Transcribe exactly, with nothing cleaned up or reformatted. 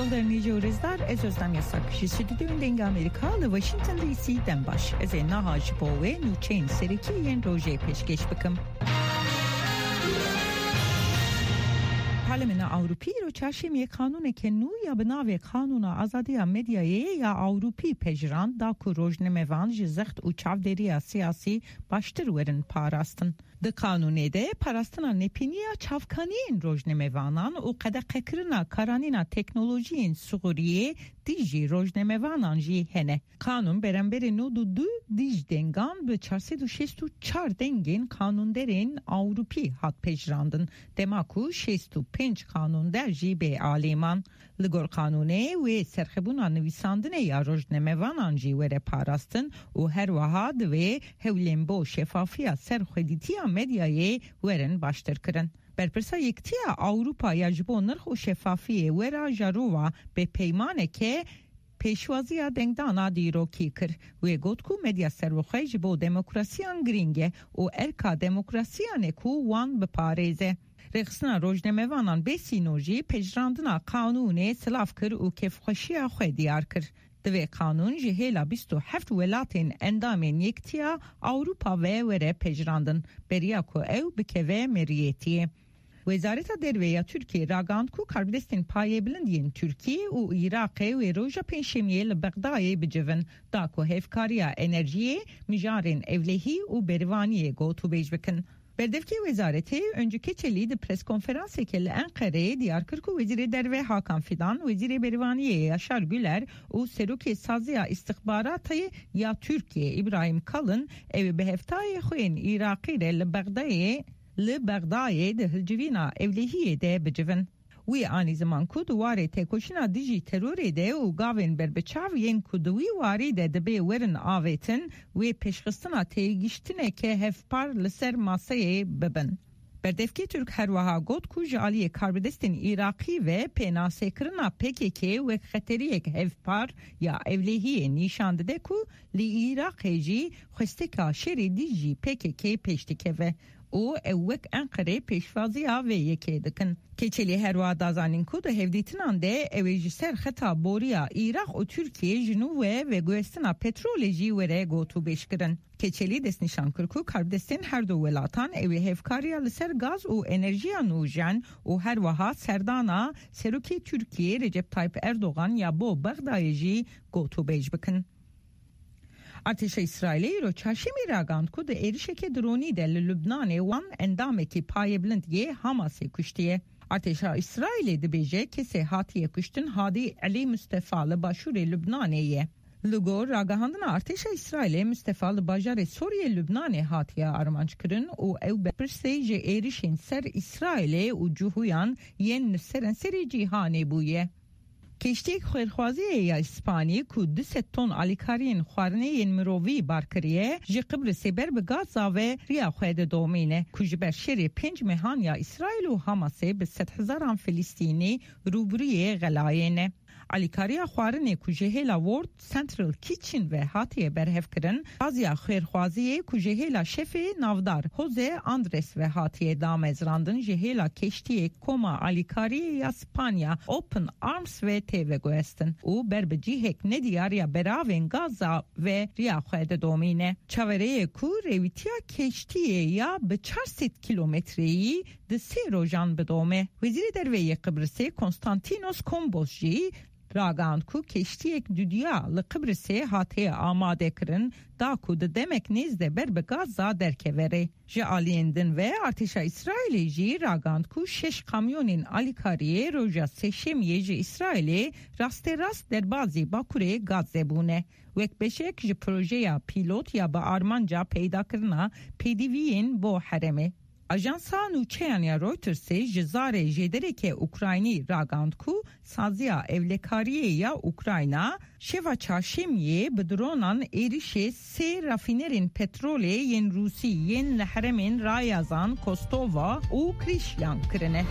Dernî û rêzdar, ez Özlem Yasak. Ji stûdyoyên Dengê Amerîka li Washington D C dem baş. Ez ê niha ji bo we nûçeyên serekî yên rojê pêşkêş bikim. Parlemena Ewropî îro çarşemiyê qanûneke nû ya bi navê Qanûna Azadiya Medyayê ya Ewropî pejirand, da ku rojnamevan ji zext û çavdêriya siyasî baştir werin parastin. Di qanûnê de parastina nepîniya çavkaniyên rojnamevanan û qedeqekirina karanîna teknolojiyên sixuriyê dijî rojnamevanan jî hene. Qanûn beramberî nod û du dij dengan bi çar sed û şêst û çar dengên qanûnderên Ewropî hat pejirandin, dema ku şêst û pênc qanûnder jî bê alî man. Li gor qanûnê wê serxebûna nivîsandinê ya rojnamevanan jî were parastin û her wiha divê hewlên bo şefafiya serxwedîtiya medyayê werin baştir kirin. Berpirsa Yekitiya Ewropa ya ji bo nirx û şefafiyê Vera Jourova bi peymaneke pêşwaziya dengdana dîrokî kir. Wê got ku medya serbixwe ji bo demokrasiyan girîng e û erka demokrasiyan e ku wan biparêze. Rêxistina rojnamevanan bê sînor jî pejirandina qanûnê silav kir û kêfxweşiya xwe diyar kir. Divê qanûn ji hêla bîst û heft welatên endamên Yekitiya Ewropa ve were pejirandin, beriya ku ew bikeve meriyetiyê. Wezareta Derve ya Tirkiyê ragihand ku karbidestên payebilind yên Tirkiyê û Iraqê wê roja Pêncşemiyê li Bexdayê bicivin, da ku hevkariya enerjiyê, mijarên ewlehî û berivaniyê gotûbêj bikin. Berdevkê wezaretê Öncü Keçeli di preskonferanseke li Enqereyê diyar kir ku Wezîrê Derve Hakan Fidan, Wezîrê Berivaniyê Yaşar Güler û Serokê Saziya Îstixbaratê ya Tirkiyê Îbrahim Kalın ew ê bi hevtayê xwe yên Iraqî re li Bexdayê, li Bexdayê di hilcivîna ewlehiyê de bicivin. Wî anî ziman ku di warê têkoşîna dijî terorê de û gavên berbiçav yên ku di wî warî de dibê werin avêtin, wê pêşxistina têgihiştineke hevpar li ser maseyê bibin. Berdevkê Tirk her wiha got ku ji aliyê karbidestên Iraqî ve pênasekirina P K K wek xeteriyek hevpar ya ewlehiyê nîşan dide ku li Iraqê jî xwesteka şerê dijî P K K pêş dikeve û ew wek Enqerê pêşwaziya vê yekê dikin. Keçelî her wiha da zanîn ku di hevdîtinan de ew ê ji ser xeta boriya Iraq û Tirkiyê ji nû ve veguhestina petrolê jî were gotûbêj kirin. Keçelî destnîşan kir ku karbidestên her du welatan ew ê hevkariya li ser gaz û enerjiya nûjen û her wiha serdana Serokê Tirkiyê Recep Tayyip Erdogan ya bo Bexdayê jî gotûbêj bikin. Artêşa Îsraîlê îro çarşemî ragihand ku di êrişeke dronî de li Lubnanê wan endamekî payebilind yê Hamasê kuştiye. Artêşa Îsraîlê dibêje kesê hatiye kuştin Hadî Elî Mustefa li başûrê Lubnanê ye. Li gor ragihandina artêşa Îsraîlê, Mustefa li bajarê Soriyê Lubnanê hatiye armanckirin û ew berpirsê ji êrişên ser Îsraîlê û cihûyan yên li seranserê cîhanê bûye. Keştiyek xêrxwaziyê ya Îspanî ku du sed ton alîkariyên xwarinê yên mirovî bar kiriye, ji Qibrisê ber bi Gaza ve riya xwe didomîne, ku ji ber şerê pênc mehan ya Îsraîl û Hamasê bi sedhezaran Filistînî rûbirûyê xelayê ne. Alîkariya xwarinê ku ji hêla World Central Kitchen ve hatiye berhevkirin, saziya xêrxwaziyê ku ji hêla şefê navdar Jose Andres ve hatiye damezrandin, ji hêla keştiyê Koma Alîkariyê ya Spanya Open Arms ve tê veguhestin û ber bi cihek nediyar ya beravên Gaza ve riya xwe didomîne. Çaverê ye ku rêwîtiya keştiyê ya bi çar sed kîlometreyî di sê rojan bidome. Wezîrê Derve yê Qibrisê Konstantinos Kombos jî ragihand ku keştiyek dudiya li Qibrisê hatiye amade kirin, da ku di demek nêz de ber bi Gaza derkeve rê. Ji aliyên din ve, artêşa Îsraîlê jî ragihand ku şeş kamyonên alîkariyê roja Sêşemiyê ji Îsraîlê rasterast derbazî Bakurê Gazze bûne. Wek beşek ji projeya pîlot ya bi armanca peydakirina pêdiviyên bo herêmê. Ajansa nûçeyan ya Reutersê ji zarê jêdereke Ukraynî ragihand ku saziya ewlekariyê ya Ukrayna şeva çarşemiyê bi dronan êrişê sê rafînerên petrolê yên Rûsî yên li herêmên Rayazan, Kostova û Krîşyan kirine.